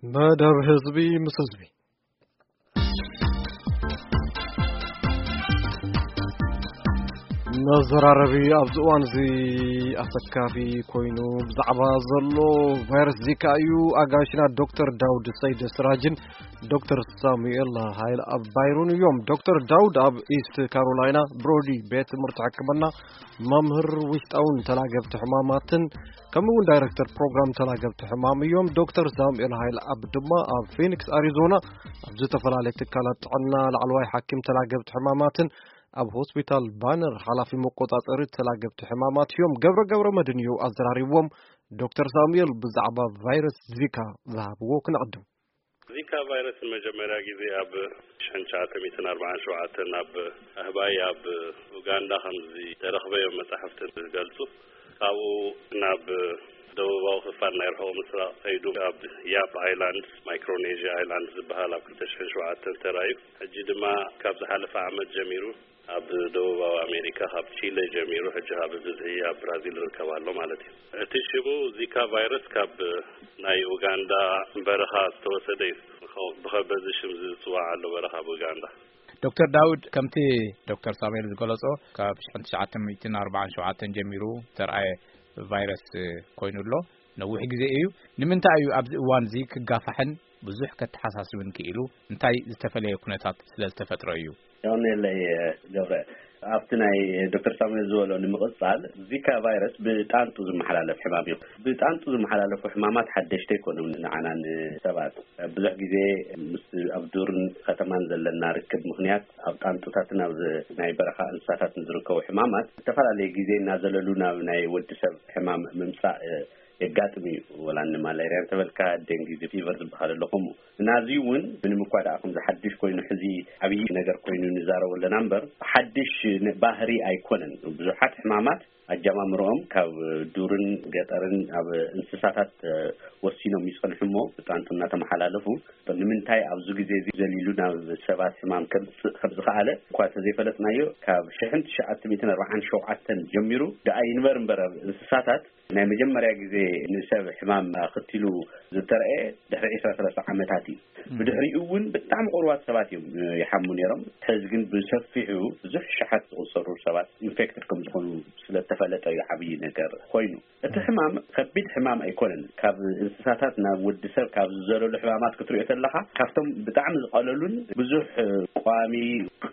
መደብ ህዝቢ ምስ ህዝቢ። መዘራረቢ ኣብዚ እዋን እዚ ኣሰካፊ ኮይኑ ብዛዕባ ዘሎ ቫይረስ ዚካ እዩ። ኣጋይሽና ዶክተር ዳውድ ሰይደ ስራጅን ዶክተር ሳሙኤል ሃይል ኣብ ባይሩን እዮም። ዶክተር ዳውድ ኣብ ኢስት ካሮላይና ብሮዲ ቤት ትምህርቲ ሕክምና መምህር ውሽጣውን ተላገብቲ ሕማማትን ከምኡ እውን ዳይሬክተር ፕሮግራም ተላገብቲ ሕማም እዮም። ዶክተር ሳሙኤል ሃይል ኣብ ድማ ኣብ ፊኒክስ ኣሪዞና ኣብ ዝተፈላለየ ትካላት ጥዕና ላዕለዋይ ሓኪም ተላገብቲ ሕማማትን ኣብ ሆስፒታል ባነር ሓላፊ መቆጻጸሪ ተላገብቲ ሕማማት እዮም። ገብረ ገብረ መድን እዩ ኣዘራሪብዎም። ዶክተር ሳሙኤል ብዛዕባ ቫይረስ ዚካ ዝሃብዎ ክንዕድም። ዚካ ቫይረስ ንመጀመርያ ግዜ ኣብ ሽሕን ትሽዓተ ሚእትን ኣርባዓን ሸውዓተን ኣብ ኣህባይ ኣብ ኡጋንዳ ከም ዝተረኽበ እዮም መጻሕፍቲ ዝገልጹ። ካብኡ ናብ ደቡባዊ ክፋል ናይ ርሑቕ ምስራቕ ከይዱ ኣብ ያፕ ኣይላንድ፣ ማይክሮኔዥያ ኣይላንድ ዝበሃል ኣብ ክልተ ሽሕን ሸውዓተን ተራእዩ። ሕጂ ድማ ካብ ዝሓለፈ ዓመት ጀሚሩ ኣብ ደቡባዊ ኣሜሪካ ካብ ቺለ ጀሚሩ ሕጂ ካብ ብዝሒ ኣብ ብራዚል ይርከብ ኣሎ ማለት እዩ። እቲ ሽሙ ዚካ ቫይረስ ካብ ናይ ኡጋንዳ በረኻ ዝተወሰደ እዩ። ብኸ-፣ በዚ ሽም ዝጽዋዕ ኣሎ በረኻ ኣብ ኡጋንዳ። ዶክተር ዳውድ፣ ከምቲ ዶክተር ሳሙኤል ዝገለጾ ካብ ሽሕን ትሽዓተ ሚእትን ኣርባዓን ሸውዓተን ጀሚሩ ዝተርኣየ ቫይረስ ኮይኑ ኣሎ። ነዊሕ ግዜ እዩ። ንምንታይ እዩ ኣብዚ እዋን እዚ ክጋፋሕን ብዙሕ ከተሓሳስብን ክኢሉ? እንታይ ዝተፈለየ ኩነታት ስለ ዝተፈጥረ እዩ? የቐንየለይ ገብረ። ኣብቲ ናይ ዶክተር ሳሙኤል ዝበሎ ንምቕጻል፣ ዚካ ቫይረስ ብጣንጡ ዝመሓላለፍ ሕማም እዩ። ብጣንጡ ዝመሓላለፉ ሕማማት ሓደሽቲ ኣይኮኑን ንዓና ንሰባት። ብዙሕ ግዜ ምስ ኣብ ዱርን ከተማን ዘለና ርክብ ምኽንያት ኣብ ጣንጡታትን ኣብ ናይ በረኻ እንስሳታትን ዝርከቡ ሕማማት ዝተፈላለየ ግዜ እናዘለሉ ናብ ናይ ወዲ ሰብ ሕማም ምምጻእ የጋጥም እዩ። ወላ ንማላርያ እንተበልካ፣ ደንጊ ፊቨር ዝበሃል ኣሎ ከምኡ። እና እዚ እውን ምንም እኳ ደኣ ከምዚ ሓድሽ ኮይኑ ሕዚ ዓብዪ ነገር ኮይኑ ንዛረቦ ኣለና እምበር፣ ሓድሽ ን-፣ ባህሪ ኣይኮነን። ብዙሓት ሕማማት ኣጀማምርኦም ካብ ዱርን ገጠርን ኣብ እንስሳታት፣ እ፣ ወሲኖም ይጸንሑ እሞ ብጣንጡ እናተመሓላለፉ፣ ንምንታይ ኣብዚ ግዜ እዚ ዘሊሉ ናብ ሰባት ሕማም ከምጽእ ከም ዝኸኣለ እኳ እንተዘይፈለጥናዮ፣ ካብ ሽሕን ትሽዓተ ሚእትን ኣርባዓን ሸውዓተን ጀሚሩ ደኣ ይንበር እምበር ኣብ እንስሳታት ናይ መጀመርያ ግዜ ንሰብ ሕማም ኣኸቲሉ ዝተረኣየ ድሕሪ ዕስራ ሰላሳ ዓመታት እዩ። ብድሕሪኡ እውን ብጣዕሚ ቁሩባት ሰባት እዮም፣ እ፣ ይሓሙ ነይሮም። ሕዚ ግን ብሰፊሑ ብዙሕ ሸሓት ዝቑጸሩ ሰባት ኢንፌክትድ ከም ዝኾኑ ስለ እተፈለጠ እዩ ዓብዪ ነገር ኮይኑ። እቲ ሕማም ከቢድ ሕማም ኣይኮነን። ካብ እንስሳታት ናብ ወዲ ሰብ ካብ ዝዘለሉ ሕማማት ክትሪኦ ተለኻ፣ ካብቶም ብጣዕሚ ዝቐለሉን ብዙሕ፣ እ፣ ቀዋሚ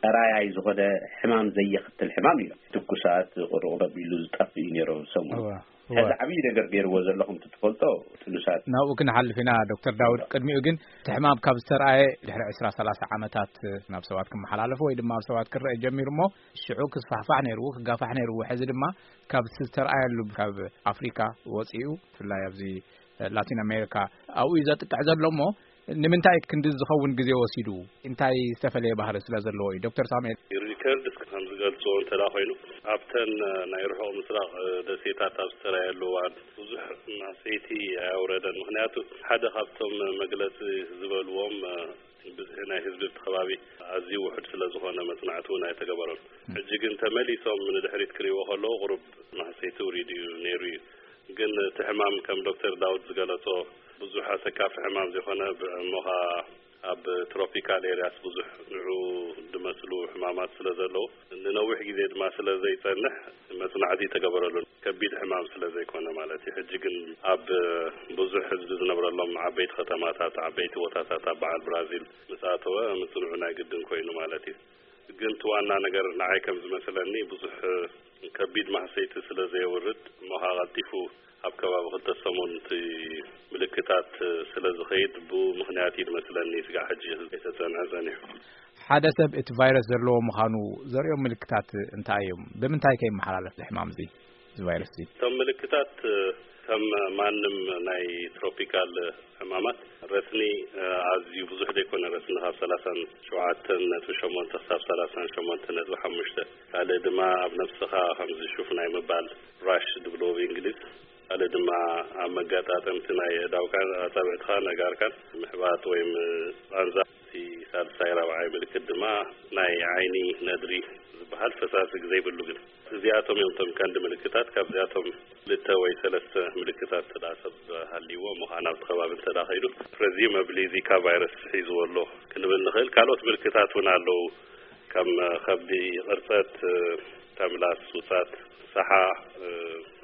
ቀራያይ ዝኾነ ሕማም ዘየኽትል ሕማም እዩ። ትኩሳት፣ ቁሩቕ ረቢሉ ዝጠፍእ እዩ ነይሩ ሰሙን። እዋ፣ እዋ። ሕዚ ዓብዪ ነገር ገይርዎ ዘሎ ከምቲ ትፈልጦ ጥኑሳት። ናብኡ ክንሓልፍ ኢና። ዶክተር ዳውድ፣ ቅድሚኡ ግን እቲ ሕማም ካብ ዝተርኣየ ድሕሪ ዕስራ ሰላሳ ዓመታት ናብ ሰባት ክመሓላለፍ ወይ ድማ ኣብ ሰባት ክረአ ጀሚሩ እሞ ሽዑ ክስፋሕፋሕ ነይርዎ፣ ክጋፋሕ ነይርዎ። ሕዚ ድማ ካብ ዝተርኣየሉ ካብ ኣፍሪካ ወፂኡ ብፍላይ ኣብዚ ላቲን ኣሜሪካ ኣብኡ እዩ ዘጥቅዕ ዘሎ እሞ ንምንታይ ክንዲ ዝኸውን ግዜ ወሲዱ? እንታይ ዝተፈለየ ባህሪ ስለ ዘለዎ እዩ? ዶክተር ሳሙኤል። ሪከርድስ ከም ዝገልጽዎ እንተ ደኣ ኮይኑ፣ ኣብተን ናይ ርሑቕ ምስራቕ ደሴታት ኣብ ዝተራየሉ እዋን ብዙሕ ማህሰይቲ ኣየውረደን። ምኽንያቱ ሓደ ካብቶም መግለጺ ዝበልዎም ብዝሒ ናይ ህዝቢ እቲ ከባቢ ኣዝዩ ውሑድ ስለ ዝኾነ መጽናዕቲ እውን ኣይተገበሮን። ሕጂ ግን ተመሊሶም ንድሕሪት ክርእይዎ ከለዉ ቁሩብ ማህሰይቲ ውሪዱ እዩ ነይሩ እዩ። ግን እቲ ሕማም ከም ዶክተር ዳውድ ዝገለጾ ብዙሕ ኣሰካፊ ሕማም ዘይኮነ፣ ብ-፣ እሞ ኸኣ ኣብ ትሮፒካል ኤርያስ ብዙሕ ንዑ ዝመስሉ ሕማማት ስለ ዘለዉ፣ ንነዊሕ ግዜ ድማ ስለ ዘይጸንሕ መጽናዕቲ ተገበረሉ። ከቢድ ሕማም ስለ ዘይኮነ ማለት እዩ። ሕጂ ግን ኣብ ብዙሕ ህዝቢ ዝነብረሎም ዓበይቲ ከተማታት፣ ዓበይቲ ቦታታት ኣብ በዓል ብራዚል ምስ ኣተወ ምጽንዑ ናይ ግድን ኮይኑ ማለት እዩ። ግን እቲ ዋና ነገር ንዓይ ከም ዝመስለኒ ብዙሕ ከቢድ ማህሰይቲ ስለ ዘየውርድ እሞ ኸኣ ቀልጢፉ ኣብ ከባቢ ክልተ ሰሙን እቲ ምልክታት ስለ ዝኸይድ ብኡ ምኽንያት እዩ ዝመስለኒ ስጋዕ ሕጂ ከይተጸንዐ ጸኒሑ። ሓደ ሰብ እቲ ቫይረስ ዘለዎ ምዃኑ ዘርእዮም ምልክታት እንታይ እዮም? ብምንታይ ከ ይመሓላለፍ እዚ ሕማም እዚ? እዚ ቫይረስ እዚ? እቶም ምልክታት ከም ማንም ናይ ትሮፒካል ሕማማት ረስኒ ኣዝዩ ብዙሕ ዘይኮነ፣ ረስኒ ካብ ሰላሳን ሸውዓተን ነጥቢ ሸሞንተ ክሳብ ሰላሳን ሸሞንተ ነጥቢ ሓሙሽተ፣ ካልእ ድማ ኣብ ነብስኻ ከምዚ ሹፍ ናይ ምባል፣ ራሽ ዝብልዎ ብእንግሊዝ፣ ካልእ ድማ ኣብ መጋጣጠምቲ ናይ ኣእዳውካን ኣጻብዕትኻን ኣእጋርካን ምሕባጥ ወይ ም-፣ ቃንዛ፣ እቲ ሳልሳይ ራብዓይ ምልክት ድማ ናይ ዓይኒ ነድሪ ዝበሃል ፈሳሲ ዘይብሉ። ግን እዚኣቶም እዮም እቶም ቀንዲ ምልክታት። ካብዚኣቶም ክልተ ወይ ሰለስተ ምልክታት ተዳ ሰብ ሃልይዎ ምዃን ኣብቲ ከባቢ እንተዳ ከይዱ፣ ፕሬዚመብሊ ዚካ ቫይረስ ሒዝዎ ኣሎ ክንብል ንኽእል። ካልኦት ምልክታት እውን ኣለዉ። ከም ከብዲ ቅርፀት፣ ተምላስ፣ ውሳት፣ ሳሓ፣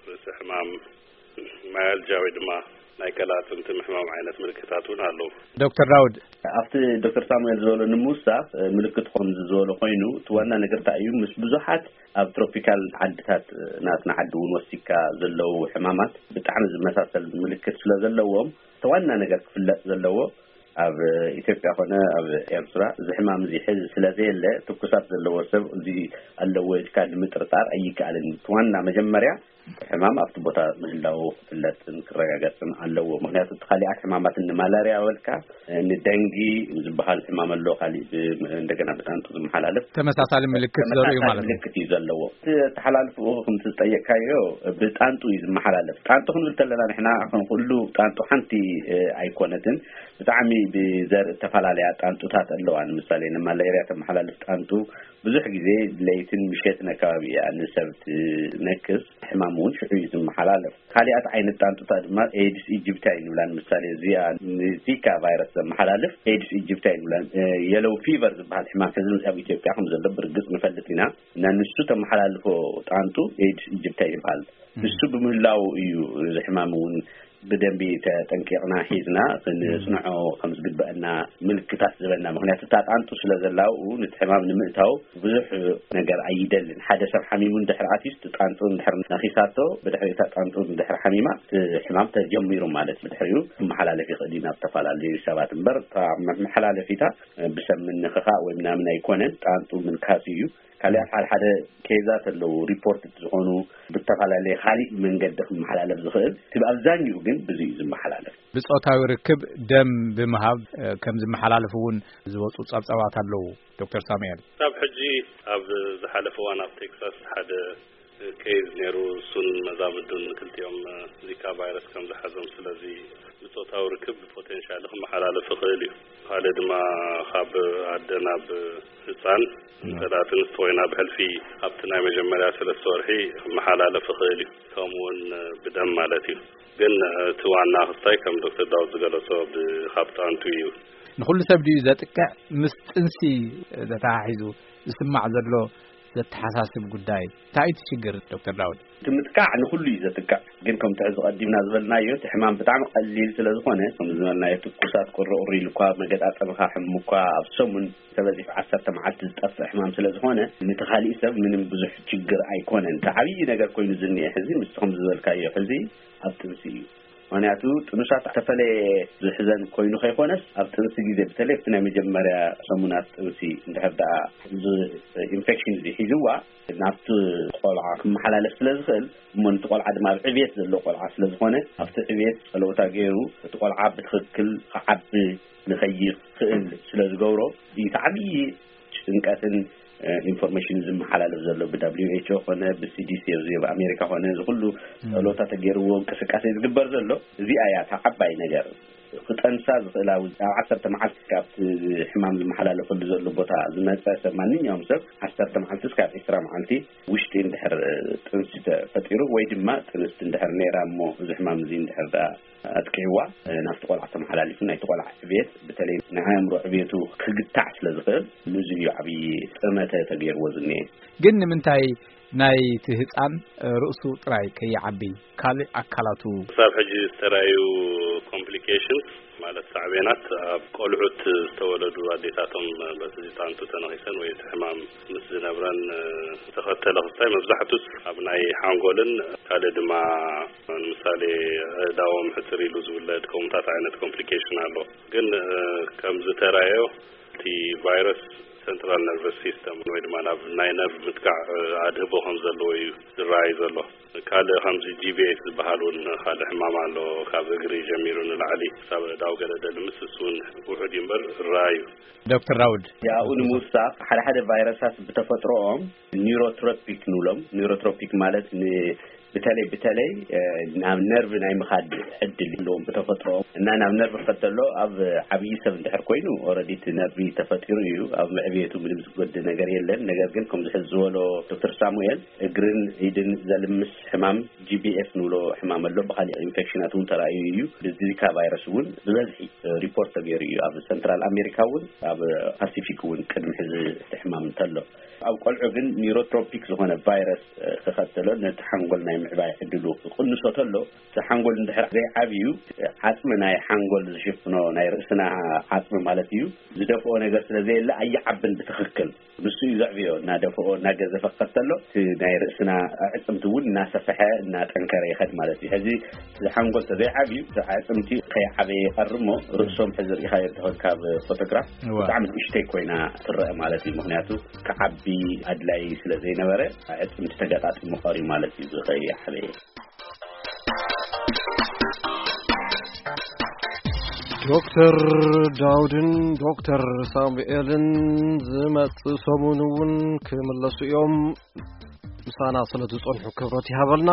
ርእሲ ሕማም፣ ማያልጃ ወይ ድማ ናይ ቀላፅምቲ ምሕማም ዓይነት ምልክታት እውን ኣለዉ። ዶክተር ዳውድ፣ ኣብቲ ዶክተር ሳሙኤል ዝበሎ ንምውሳኽ፣ ምልክት ከም ዝበሎ ኮይኑ፣ እቲ ዋና ነገር እንታይ እዩ? ምስ ብዙሓት ኣብ ትሮፒካል ዓድታት ናትና ዓዲ እውን ወሲካ ዘለዉ ሕማማት ብጣዕሚ ዝመሳሰል ምልክት ስለ ዘለዎም፣ እቲ ዋና ነገር ክፍለጥ ዘለዎ፣ ኣብ ኢትዮጵያ ኮነ ኣብ ኤርትራ እዚ ሕማም እዚ ሕዚ ስለ ዘየለ፣ ትኩሳት ዘለዎ ሰብ እዚ ኣለዎ ኢልካ ንምጥርጣር ኣይከኣልን። እቲ ዋና መጀመርያ ሕማም ኣብቲ ቦታ ምህላው ክፍለጥን ክረጋገጽን ኣለዎ። ምኽንያቱ እቲ ካሊኣት ሕማማት ንማላርያ በልካ፣ ንደንጊ ዝበሃል ሕማም ኣሎ፣ ካሊእ ብ-፣ እንደገና ብጣንጡ ዝመሓላለፍ ተመሳሳሊ ምልክት ዘርእዩ ተመሳሳሊ ማለት እዩ። ምልክት እዩ ዘለዎ። እቲ ተሓላልፍኡ ከምቲ ዝጠየቅካዮ ብጣንጡ እዩ ዝመሓላለፍ። ጣንጡ ክንብል ከለና ንሕና ከም ኩሉ ጣንጡ ሓንቲ፣ እ፣ ኣይኮነትን። ብጣዕሚ ብዘርኢ ዝተፈላለያ ጣንጡታት ኣለዋ። ንማላርያ ተመሓላልፍ ጣንጡ ብዙሕ ግዜ ለይትን ምሸትን ኣከባቢ እያ ንሰብ ትነክስ። ሕማም እውን ሽዑ እዩ ዝመሓላለፍ። ካሊኣት ዓይነት ጣንጡታት ድማ ኤድስ ኢጅፕታይ ንብላን። ምሳሌ እዚኣ ንዚካ ቫይረስ ዘመሓላልፍ ኤድስ ኢጅፕታይ ንብላን። የሎው ፊቨር ዝበሃል ሕማም ሕዚ ኣብ ኢትዮጵያ ከም ዘሎ ብርግጽ ንፈልጥ ኢና። እና ንሱ ተመሓላልፎ ጣንጡ ኤድስ ኢጅፕታይ ይበሃል። ንሱ ብምህላው እዩ እዚ ሕማም እውን ብደንቢ ተጠንቂቕና ሒዝና ክንጽንዖ ከም ዝግበአና ምልክታት ዝበና። ምኽንያቱ እታ ጣንጡ ስለ ዘላው ነቲ ሕማም ንምእታው ብዙሕ ነገር ኣይደልን። ሓደ ሰብ ሓሚሙ እንድሕር ኣትዩስ ጣንጡ እንድሕር ነኺሳቶ፣ ብድሕሪ እታ ጣንጡ እንድሕር ሓሚማ እቲ ሕማም ተጀሚሩ ማለት እዩ። ብድሕሪኡ ክመሓላለፍ ይኽእል እዩ ናብ ዝተፈላለዩ ሰባት። እምበር እታ መመሓላለፊታ ብሰብ ምንኽኻእ ወይ ምናምን ኣይኮነን፣ ጣንጡ ምንካስ እዩ። ካልኣት ሓደ ሓደ ኬዛት ኣለዉ፣ ሪፖርት ዝኾኑ ብተፈላለየ ካሊእ መንገዲ ክመሓላለፍ ዝኽእል። እቲ ኣብዛኛኡ ግን ብዙ እዩ ዝመሓላለፍ። ብጾታዊ ርክብ ደም ብምሃብ፣ እ፣ ከም ዝመሓላለፍ እውን ዝወጹ ጸብጻባት ኣለዉ። ዶክተር ሳሙኤል። ክሳብ ሕጂ ኣብ ዝሓለፈ እዋን ኣብ ቴክሳስ ሓደ ኬዝ ነይሩ። እሱን መዛምዱን ክልቲኦም ዚካ ቫይረስ ከም ዝሓዞም፣ ስለዚ ብጾታዊ ርክብ ብፖቴንሻል ክመሓላለፍ ይኽእል እዩ። ካልእ ድማ ካብ ኣደ ናብ ህፃን፣ እንተ ደኣ ጥንስቲ ኮይና ብሕልፊ ኣብቲ ናይ መጀመርያ ሰለስተ ወርሒ ክመሓላለፍ ይኽእል እዩ። ከምኡ እውን ብደም ማለት እዩ። ግን እቲ ዋና ክስታይ ከም ዶክተር ዳውድ ዝገለጾ ብ-፣ ካብ ጣንቱ እዩ። ንኹሉ ሰብ ድዩ ዘጥቅዕ? ምስ ጥንሲ ተተሓሒዙ ዝስማዕ ዘሎ ዘተሓሳስብ ጉዳይ እንታይ እዩ እቲ ሽግር ዶክተር ዳውድ? እቲ ምጥቃዕ ንኹሉ እዩ ዘጥቅዕ። ግን ከምቲ ሕዚ ቀዲምና ዝበልናዮ እቲ ሕማም ብጣዕሚ ቀሊል ስለ ዝኾነ፣ ከም ዝበልናዮ ትኩሳት ቁሪ ቁሪ ኢሉ እኳ መገጣጠምኻ ሕሙ እኳ ኣብ ሰሙን ተበዚሑ ዓሰርተ መዓልቲ ዝጠፍእ ሕማም ስለ ዝኾነ፣ ነቲ ካሊእ ሰብ ምንም ብዙሕ ችግር ኣይኮነን። እቲ ዓብዪ ነገር ኮይኑ ዝኒኤ ሕዚ ምስቲ ከም ዝበልካዮ ሕዚ ኣብ ጥንሲ እዩ። ምኽንያቱ ጥኑሳት ዝተፈለየ ዝሕዘን ኮይኑ ከይኮነስ፣ ኣብ ጥንሲ ግዜ፣ በተለይ ኣብቲ ናይ መጀመርያ ሰሙናት ጥንሲ እንድሕር ደኣ እዚ ኢንፌክሽን እዚ ሒዝዋ፣ ናብቲ ቆልዓ ክመሓላለፍ ስለ ዝኽእል፣ እሞ ነቲ ቆልዓ ድማ ኣብ ዕብየት ዘሎ ቆልዓ ስለ ዝኾነ፣ ኣብቲ ዕብየት ጸለውታ ገይሩ እቲ ቆልዓ ብትኽክል ክዓቢ ንኸይኽእል ስለ ዝገብሮ፣ እቲ ዓብዪ ጭንቀትን፣ እ፣ ኢንፎርሜሽን ዝመሓላለፍ ዘሎ ብ ደብሊው ኤች ኦ ኮነ ብ ሲ ዲ ሲ፣ እዚ ኣብ ኣሜሪካ ኮነ፣ እዚ ኩሉ ጸሎታ ተገይርዎ እንቅስቃሴ ዝግበር ዘሎ፣ እዚኣ እያ እታ ዓባይ ነገር። ክጠንሳ ዝኽእላ፣ ኣብ ዓሰርተ መዓልቲ ካብቲ ሕማም ዝመሓላለፈሉ ዘሎ ቦታ ዝመጸ ሰብ፣ ማንኛውም ሰብ ዓሰርተ መዓልቲ እስካብ ዒስራ መዓልቲ ውሽጢ እንድሕር ጥንሲ ተፈጢሩ ወይ ድማ ጥንስቲ እንድሕር ነይራ እሞ እዚ ሕማም እዚ እንድሕር ደኣ ኣጥቂዕዋ፣ ናብቲ ቆልዓ ተመሓላሊፉ፣ ናይቲ ቆልዓ ዕብየት፣ በተለይ ናይ ኣእምሮ ዕብየቱ ክግታዕ ስለ ዝኽእል፣ ንዚ እዩ ዓብዪ ጥመተ ተገይርዎ ዝኒኤ። ግን ንምንታይ ናይቲ ህጻን ርእሱ ጥራይ ከይዓቢ፣ ካልእ ኣካላቱ? ክሳብ ሕጂ ዝተራእዩ ኮምፕሊኬሽንስ፣ ማለት ሳዕቤናት፣ ኣብ ቆልዑት ዝተወለዱ ኣዴታቶም በቲ ጣንጡ ተነኺሰን ወይ እቲ ሕማም ምስ ዝነብረን፣ እ፣ ዝተኸተለ ክስታይ፣ መብዛሕቱስ ኣብ ናይ ሓንጎልን ካልእ ድማ፣ ንምሳሌ፣ ኣእዳዎም ሕጽር ኢሉ ዝውለድ ከምኡታት ዓይነት ኮምፕሊኬሽን ኣሎ። ግን፣ እ፣ ከም ዝተራእዮ እቲ ቫይረስ ሰንትራል ነርቨስ ሲስተም ወይ ድማ ናብ ናይ ነርቭ ምጥቃዕ፣ እ፣ ኣድህቦ ከም ዘለዎ እዩ ዝረኣይ ዘሎ። ካልእ ከምዚ ጂ ቢ ኤስ ዝበሃል እውን ካልእ ሕማም ኣሎ። ካብ እግሪ ጀሚሩ ንላዕሊ ክሳብ ዳው ገለ ደልምስ፣ እሱ እውን ውሑድ እዩ እምበር ራዩ። ዶክተር ዳውድ። ያኡ ንምውሳኽ፣ ሓደ ሓደ ቫይረሳት ብተፈጥሮኦም ኒውሮትሮፒክ ንብሎም። ኒውሮትሮፒክ ማለት ን- ብተለይ ብተለይ ናብ ነርቭ ናይ ምኻድ ዕድል ኣለዎም ብተፈጥሮኦም። እና ናብ ነርቭ ክኸተሎ፣ ኣብ ዓብዪ ሰብ እንድሕር ኮይኑ፣ ኦረዲ እቲ ነርቪ ተፈጢሩ እዩ። ኣብ ምዕብየቱ ምንም ዝጎድ ነገር የለን። ነገር ግን ከምዚ ሕዚ ዝበሎ ዶክተር ሳሙኤል፣ እግርን ኢድን ዘልምስ ሕማም፣ ጂ ቢ ኤፍ ንብሎ ሕማም ኣሎ። ብካሊእ ኢንፌክሽናት እውን ተራእዩ እዩ። ብዚካ ቫይረስ እውን ብበዝሒ ሪፖርት ተገይሩ እዩ። ኣብ ሰንትራል ኣሜሪካ እውን፣ ኣብ ፓሲፊክ እውን ቅድሚ ሕዚ እቲ ሕማም እንተሎ፣ ኣብ ቆልዑ ግን ኒውሮትሮፒክ ዝኾነ ቫይረስ ክኸተሎ፣ ነቲ ሓንጎል ናይ ምዕባይ ዕድሉ ክቕንሶ ተሎ፣ እቲ ሓንጎል እንድሕር ዘይዓብዩ፣ ዓጽሚ ናይ ሓንጎል ዝሽፍኖ፣ ናይ ርእስና ዓጽሚ ማለት እዩ፣ ዝደፍኦ ነገር ስለ ዘየለ ኣይዓብን ብትኽክል። ንሱ እዩ ዘዕብዮ። እናደፍኦ እናገዘፈ ክኸተሎ፣ እቲ ናይ ርእስና ኣዕጽምቲ እውን እናሰፈሐ እናጠንከረ ይኸድ ማለት እዩ። ሕዚ እዚ ሓንጎል ተዘይዓብዩ፣ እቲ ኣዕጽምቲ ከይዓበየ ይቐርሞ፣ ርእሶም ሕዚ ርኢኻዮ እንተኾን ካብ ፎቶግራፍ፣ ብጣዕሚ ንእሽተይ ኮይና ትረአ ማለት እዩ። ምክንያቱ ክዓቢ ኣድላይ ስለ ዘይነበረ፣ ኣዕጽምቲ ተገጣጢሙ ቀርዩ ማለት እዩ፣ እዚ ከይዓበየ። ዶክተር ዳውድን ዶክተር ሳሙኤልን ዝመጽእ ሰሙን እውን ክምለሱ እዮም። ምሳና ስለ ዝጸንሑ ክብረት ይሃበልና።